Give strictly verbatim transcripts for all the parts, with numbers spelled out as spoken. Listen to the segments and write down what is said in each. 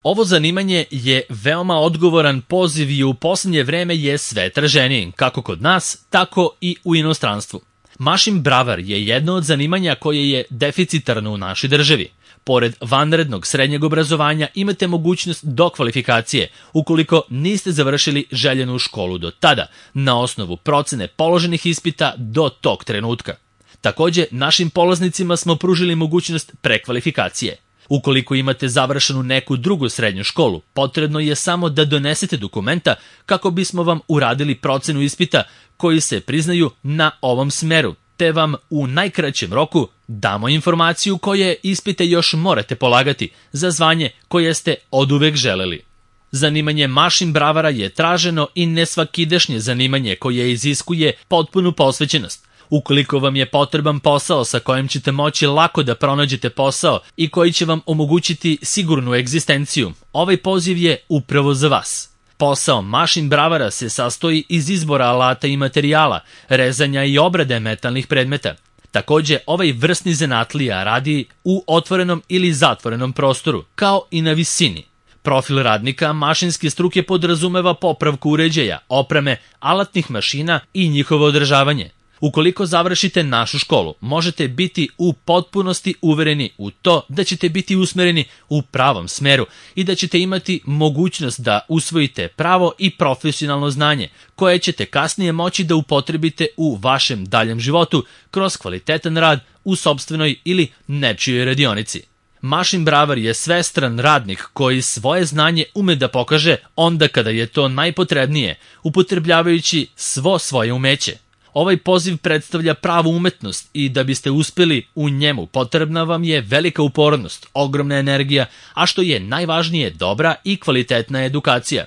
Ovo zanimanje je veoma odgovoran poziv i u posljednje vreme je sve traženiji, kako kod nas, tako i u inostranstvu. Mašin bravar je jedno od zanimanja koje je deficitarno u našoj državi. Pored vanrednog srednjeg obrazovanja imate mogućnost dokvalifikacije ukoliko niste završili željenu školu do tada, na osnovu procene položenih ispita do tog trenutka. Također, našim polaznicima smo pružili mogućnost prekvalifikacije. Ukoliko imate završenu neku drugu srednju školu, potrebno je samo da donesete dokumenta kako bismo vam uradili procenu ispita koji se priznaju na ovom smeru, te vam u najkraćem roku damo informaciju koje ispite još morate polagati za zvanje koje ste oduvek želeli. Zanimanje mašin bravara je traženo i nesvakidašnje zanimanje koje iziskuje potpunu posvećenost. Ukoliko vam je potreban posao sa kojim ćete moći lako da pronađete posao i koji će vam omogućiti sigurnu egzistenciju, ovaj poziv je upravo za vas. Posao mašin bravara se sastoji iz izbora alata i materijala, rezanja i obrade metalnih predmeta. Također, ovaj vrsni zanatlija radi u otvorenom ili zatvorenom prostoru, kao i na visini. Profil radnika mašinske struke podrazumeva popravku uređaja, opreme, alatnih mašina i njihovo održavanje. Ukoliko završite našu školu, možete biti u potpunosti uvereni u to da ćete biti usmereni u pravom smeru i da ćete imati mogućnost da usvojite pravo i profesionalno znanje koje ćete kasnije moći da upotrebite u vašem daljem životu kroz kvalitetan rad u sopstvenoj ili nečijoj radionici. Mašin bravar je svestran radnik koji svoje znanje ume da pokaže onda kada je to najpotrebnije, upotrebljavajući svo svoje umeće. Ovaj poziv predstavlja pravu umetnost i da biste uspjeli u njemu potrebna vam je velika upornost, ogromna energija, a što je najvažnije dobra i kvalitetna edukacija.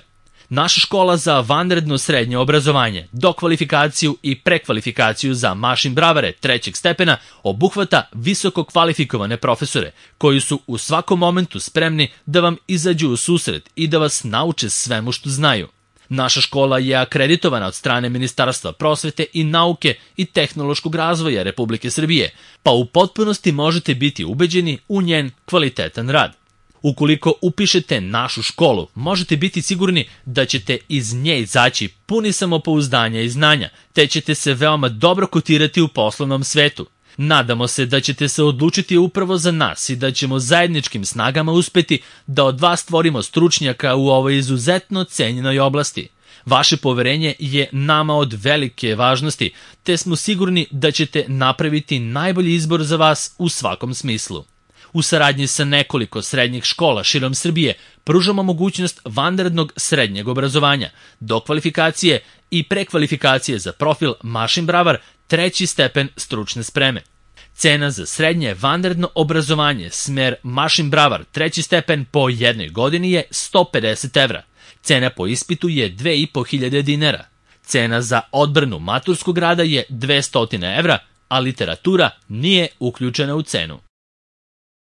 Naša škola za vanredno srednje obrazovanje, dokvalifikaciju i prekvalifikaciju za mašin bravare trećeg stepena obuhvata visoko kvalifikovane profesore koji su u svakom momentu spremni da vam izađu u susret i da vas nauče svemu što znaju. Naša škola je akreditovana od strane Ministarstva prosvete i nauke i tehnološkog razvoja Republike Srbije, pa u potpunosti možete biti ubeđeni u njen kvalitetan rad. Ukoliko upišete našu školu, možete biti sigurni da ćete iz nje izaći puni samopouzdanja i znanja, te ćete se veoma dobro kotirati u poslovnom svetu. Nadamo se da ćete se odlučiti upravo za nas i da ćemo zajedničkim snagama uspeti da od vas stvorimo stručnjaka u ovoj izuzetno cenjenoj oblasti. Vaše poverenje je nama od velike važnosti, te smo sigurni da ćete napraviti najbolji izbor za vas u svakom smislu. U saradnji sa nekoliko srednjih škola širom Srbije pružamo mogućnost vanrednog srednjeg obrazovanja, dokvalifikacije i prekvalifikacije za profil mašin bravar treći stepen stručne spreme. Cena za srednje vanredno obrazovanje smer mašin bravar treći stepen po jednoj godini je sto pedeset evra. Cena po ispitu je dve i po hiljade dinara. Cena za odbranu maturskog rada je dvesta evra, a literatura nije uključena u cenu.